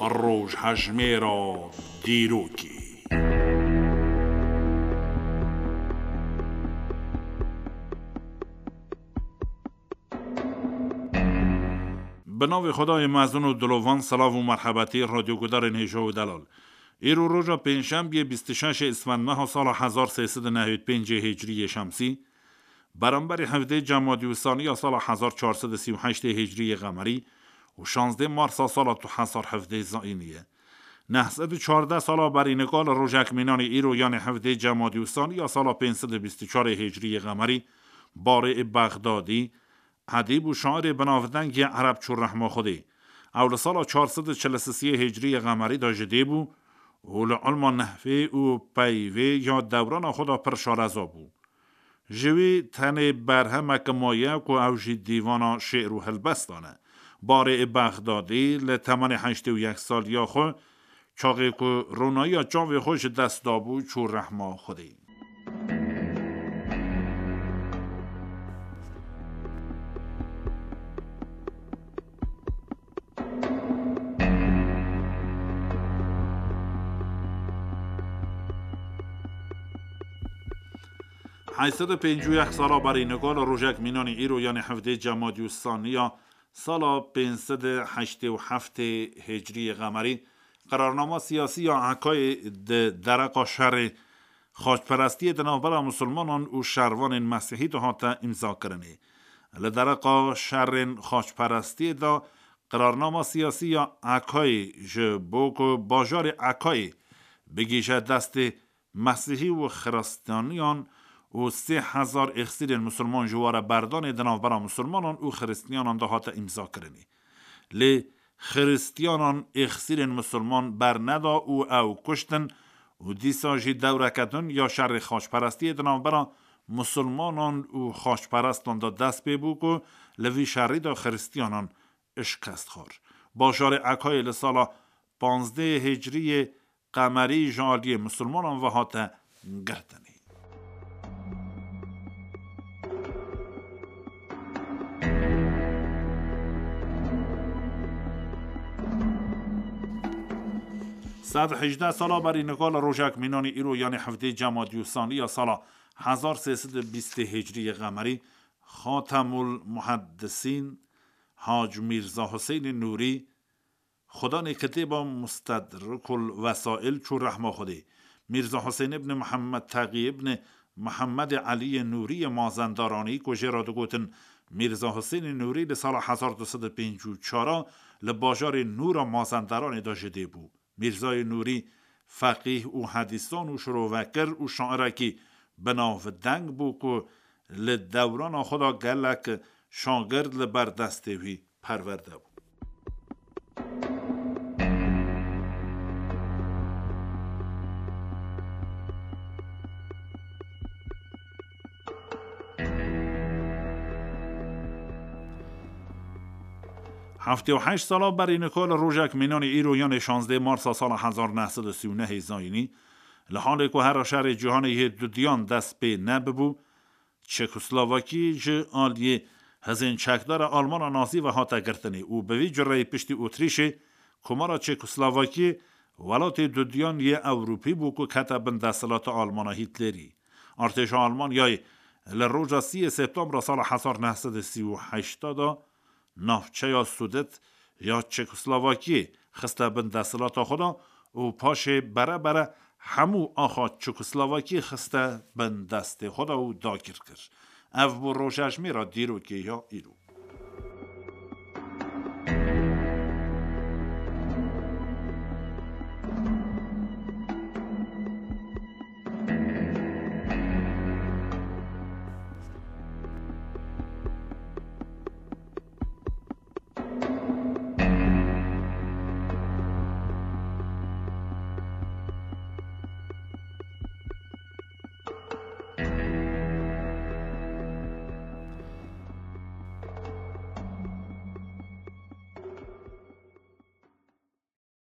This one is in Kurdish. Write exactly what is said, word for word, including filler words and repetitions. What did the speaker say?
Rojhejmêra dîrokê. Bi navê Xwedayê mezin û dilovan, silav û merhebetî radyogudarên hêja û delal. Îro roja pêncşembiyê bîst û şeş Îsfendmeha sala hezar sê sed û nehewî pêncê Hicriyê Şemsî, beramberî hevdê Cemadî Usaniya sala hezar çar sed û sî û heştê Hicriyê Qemerî û şazdê Marsa sala du hezar hevdê Zayînî ye. Neh sed û çardeh sala berî nika li rojek mînanî îro, yanê hevdê Cemadî Usaniya sala pênc sed û bîst û çarê Hicriyê Qemerî, barê ê Bexdadî, edîb û şairê binavdeng yê ereb çû rehma Xwedê. Ew li sala çar sed û çil û sisiyê Hicriyê Qemerî de ji dê bû û li ilma nehvê û peyvê ya dewrana xwe de pir şareza bû. Ji wî tenê berhemek maye ku ew jî dîvana şê'r û helbestan e. Barê ê Bexdadî li temenê heştê û yek saliya xwe, çaxê ku ronayiya çavê xwe ji dest dabû, çû rehma Xwedê. Heyşt sed û pêncî û yek sala berî nika li rojek mînanî îro, yanê hevdê Cemadî Usaniya sala pênc sed û heştê û heftê Hicriyê Qemerî, qerarnama siyasî ya Ekayê di dereqa şerê xaçperestiyê di navbera misilmanan û şervanên mesîhî de hate îmzakirinê. Li dereqa şerên xaçperestiyê de qerarnama siyasî ya Ekayê ji bo ku bajarê Ekayê bigihîje destê Mesîhî û Xiristiyaniyan û sê hezar êxsîrên misilman ji ware berdanê di navbera misilmanan û Xiristiyanan de hate îmzakirinê. Lê Xiristiyanan êxsîrên misilman berneda û ew kuştin û dîsa jî dewreke din ya şerê xaçperestiyê di navbera misilmanan û xaçperestan de dest pê bû ku li vî şerî de Xiristiyanan şikest xwar. Bajarê Ekayê li sala panzdeh Hicriyê Qemerî ji aliyê misilmanan ve hate girtinê. Sed hejdeh sala berî nika li rojek mînanî îro, yanê hevdê Cemadî Usaniya sala hezar sê sed û bîstê Hicriyê Qemerî, Xatemul Muheddisîn Hac Mîrza Huseynê Nûrî, xudanê kitêba Mustedrikul Vesail çû rehma Xwedê. Mîrza Husên ibn Mihemed Teqî ibn Mihemedê Eliyê Nûriyê Mazendaranî ku jê re digotin Mîrza Husênê Nûrî, li sala hezar du sed û pêncî û çar li bajarê Nûra Mazendaranê de ji dê bû. Mîrzayê Nûrî feqîh û hedîsan û şirovekir û şairekî binavdeng bû ku li dewrana xwe de gelek şagird li ber destê wî perwerde bû. Heftê û heşt sala berî nika li rojek mînanî îro, yanê şazdeh Marsa sala hezar neh sed û sî û nehê zayînî, li halê ku hera şerê cîhanê yê dudiyan dest pê nebibû, Çekoslovakî ji aliyê hizên çekdara Almana Nazî ve hate girtinê û bi vî cureyî piştî Otrîşê, Komara Çekoslovakî welatê dudiyan yê Ewropî bû ku kete bin desthilata Almana Hîtlerî. Artêşa Almanyayê li roja sîyê Septembra sala hezar neh sed û sî û heşt de navçeya Sudet ya Çekoslovakiyê xiste bin desthilata xwe de û paşê bere bere hemû axa Çekoslovakiyê xiste bin destê xwe de û dagir kir. Ev bû rojejmêra dîrokê ya îro.